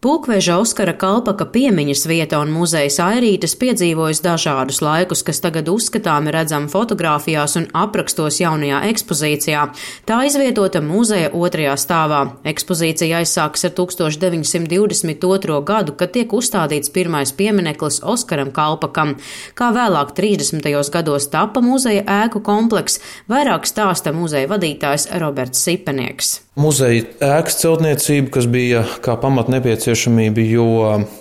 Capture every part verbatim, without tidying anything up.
Pulkveža Oskara Kalpaka piemiņas vieta un muzejs Airītes piedzīvojis dažādus laikus, kas tagad uzskatāmi redzami fotogrāfijās un aprakstos jaunajā ekspozīcijā. Tā izvietota muzeja otrajā stāvā. Ekspozīcija aizsākas ar tūkstoš deviņsimt divdesmit otro gadu, kad tiek uzstādīts pirmais piemineklis Oskaram Kalpakam. Kā vēlāk trīsdesmitajos gados tapa muzeja ēku komplekss, vairāk stāsta muzeja vadītājs Roberts Sipenieks. Muzeja ēkas celtniecība, kas bija kā pamat nepieciešamība, jo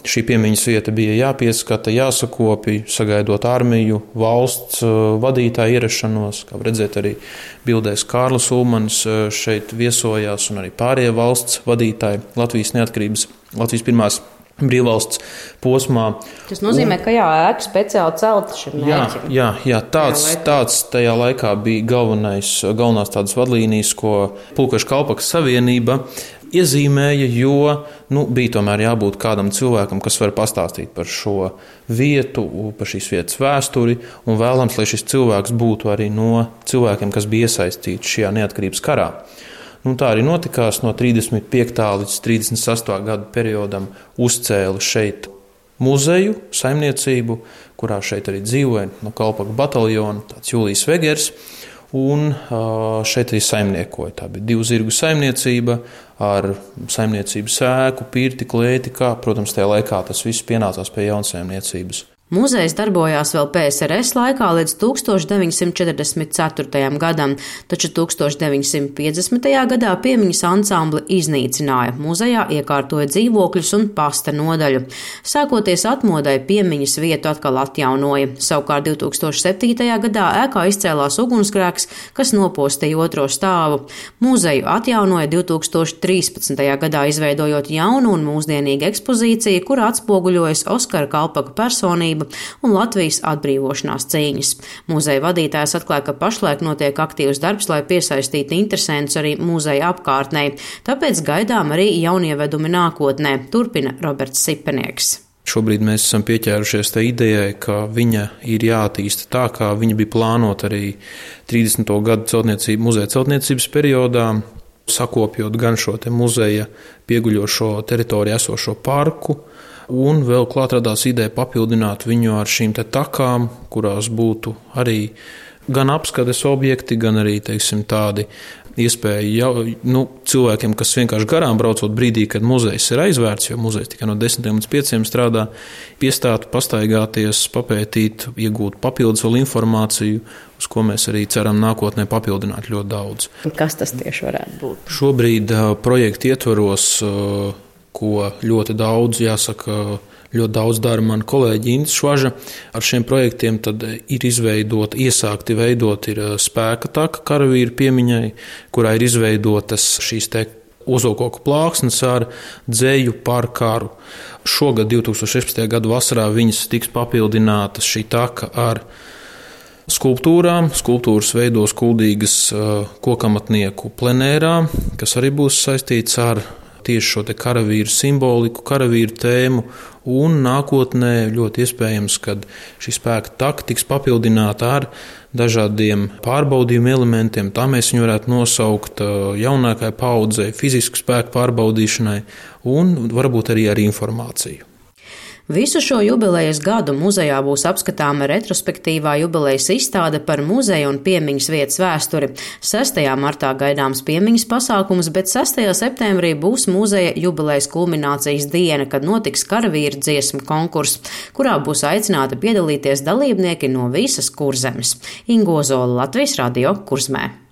šī piemiņas vieta bija jāpieskata, jāsakopja, sagaidot armiju, valsts vadītāju ierašanos. Kā redzēt, arī bildēs Kārlis Ulmanis šeit viesojās un arī pārējie valsts vadītāji Latvijas neatkarības, Latvijas pirmās brīvvalsts posmā. Tas nozīmē, un, ka jā, ēka speciāli celta šim mērķim. Jā, jā, jā tāds, tāds tajā laikā bija galvenais, galvenās tādas vadlīnijas, ko Pulkveža Kalpakas savienība iezīmēja, jo nu, bija tomēr jābūt kādam cilvēkam, kas var pastāstīt par šo vietu, par šīs vietas vēsturi, un vēlams, lai šis cilvēks būtu arī no cilvēkiem, kas bija iesaistīti šajā neatkarības karā. Nu, tā arī notikās no trīsdesmit piektā līdz trīsdesmit sastā gadu periodam uzcēla šeit muzeju, saimniecību, kurā šeit arī dzīvoja no Kalpaka bataljona tāds Jūlijs Vegers, un šeit arī saimniekoja. Tā bija divu zirgu saimniecība ar saimniecības ēku, pirti, klēti, kā, protams, tajā laikā tas viss pienācās pie jaunsaimniecības. Muzejs darbojās vēl P S R S laikā līdz tūkstoš deviņsimt četrdesmit ceturtajam gadam, taču tūkstoš deviņsimt piecdesmitajā gadā piemiņas ansambli iznīcināja, muzejā iekārtoja dzīvokļus un pasta nodaļu. Sākoties atmodai, piemiņas vietu atkal atjaunoja. Savukārt divtūkstoš septītajā gadā ēkā izcēlās ugunsgrēks, kas nopostīja otro stāvu. Muzeju atjaunoja divtūkstoš trīspadsmitajā gadā, izveidojot jaunu un mūsdienīgu ekspozīciju, kur atspoguļojas Oskara Kalpaka personība un Latvijas atbrīvošanās cīņas. Muzeja vadītājs atklāja, ka pašlaik notiek aktīvs darbs, lai piesaistītu interesentus arī muzeja apkārtnē, tāpēc gaidām arī jaunievedumi nākotnē, turpina Roberts Sipenieks. Šobrīd mēs esam pieķērušies tai idejai, ka viņa ir jāattīsta tā, kā viņa bija plānota arī trīsdesmito gadu celtniecību, muzeja celtniecības periodā, sakopjot gan šo te muzeja pieguļošo teritoriju esošo parku, un vēl klāt radās ideja papildināt viņu ar šīm te takām, kurās būtu arī gan apskates objekti, gan arī, teiksim, tādi iespēja jau, nu, cilvēkiem, kas vienkārši garām braucot brīdī, kad muzejs ir aizvērts, jo muzejs tikai no desmitiem līdz pieciem strādā, piestātu, pastaigāties, papētīt, iegūt papildus vēl informāciju, uz ko mēs arī ceram nākotnē papildināt ļoti daudz. Kas tas tieši varētu būt? Šobrīd uh, projekta ietvaros uh, ko ļoti daudz, jāsaka, ļoti daudz dara mani kolēģi Intis Švaža. Ar šiem projektiem tad ir izveidot, iesākti veidot ir spēka taka karavīru piemiņai, kurā ir izveidotas šīs te ozokoku plāksnes ar dzeju par karu. Šogad, divtūkstoš sešpadsmitajā gada vasarā, viņas tiks papildinātas šī taka ar skulptūrām. Skulptūras veidos kuldīgas kokamatnieku plenērā, kas arī būs saistīts ar tieši šo te karavīru simboliku, karavīru tēmu, un nākotnē ļoti iespējams, kad šī spēka taka tiks papildināta ar dažādiem pārbaudījumu elementiem. Tā mēs viņu varētu nosaukt jaunākai paudzei, fizisku spēku pārbaudīšanai un varbūt arī ar informāciju. Visu šo jubilejas gadu muzejā būs apskatāma retrospektīvā jubilejas izstāde par muzeja un piemiņas vietas vēsturi. sestajā martā gaidāms piemiņas pasākums, bet sestajā septembrī būs muzeja jubilejas kulminācijas diena, kad notiks karavīru dziesmu konkurss, kurā būs aicināti piedalīties dalībnieki no visas Kurzemes. Inga Ozola, Latvijas radio, Kurzmē.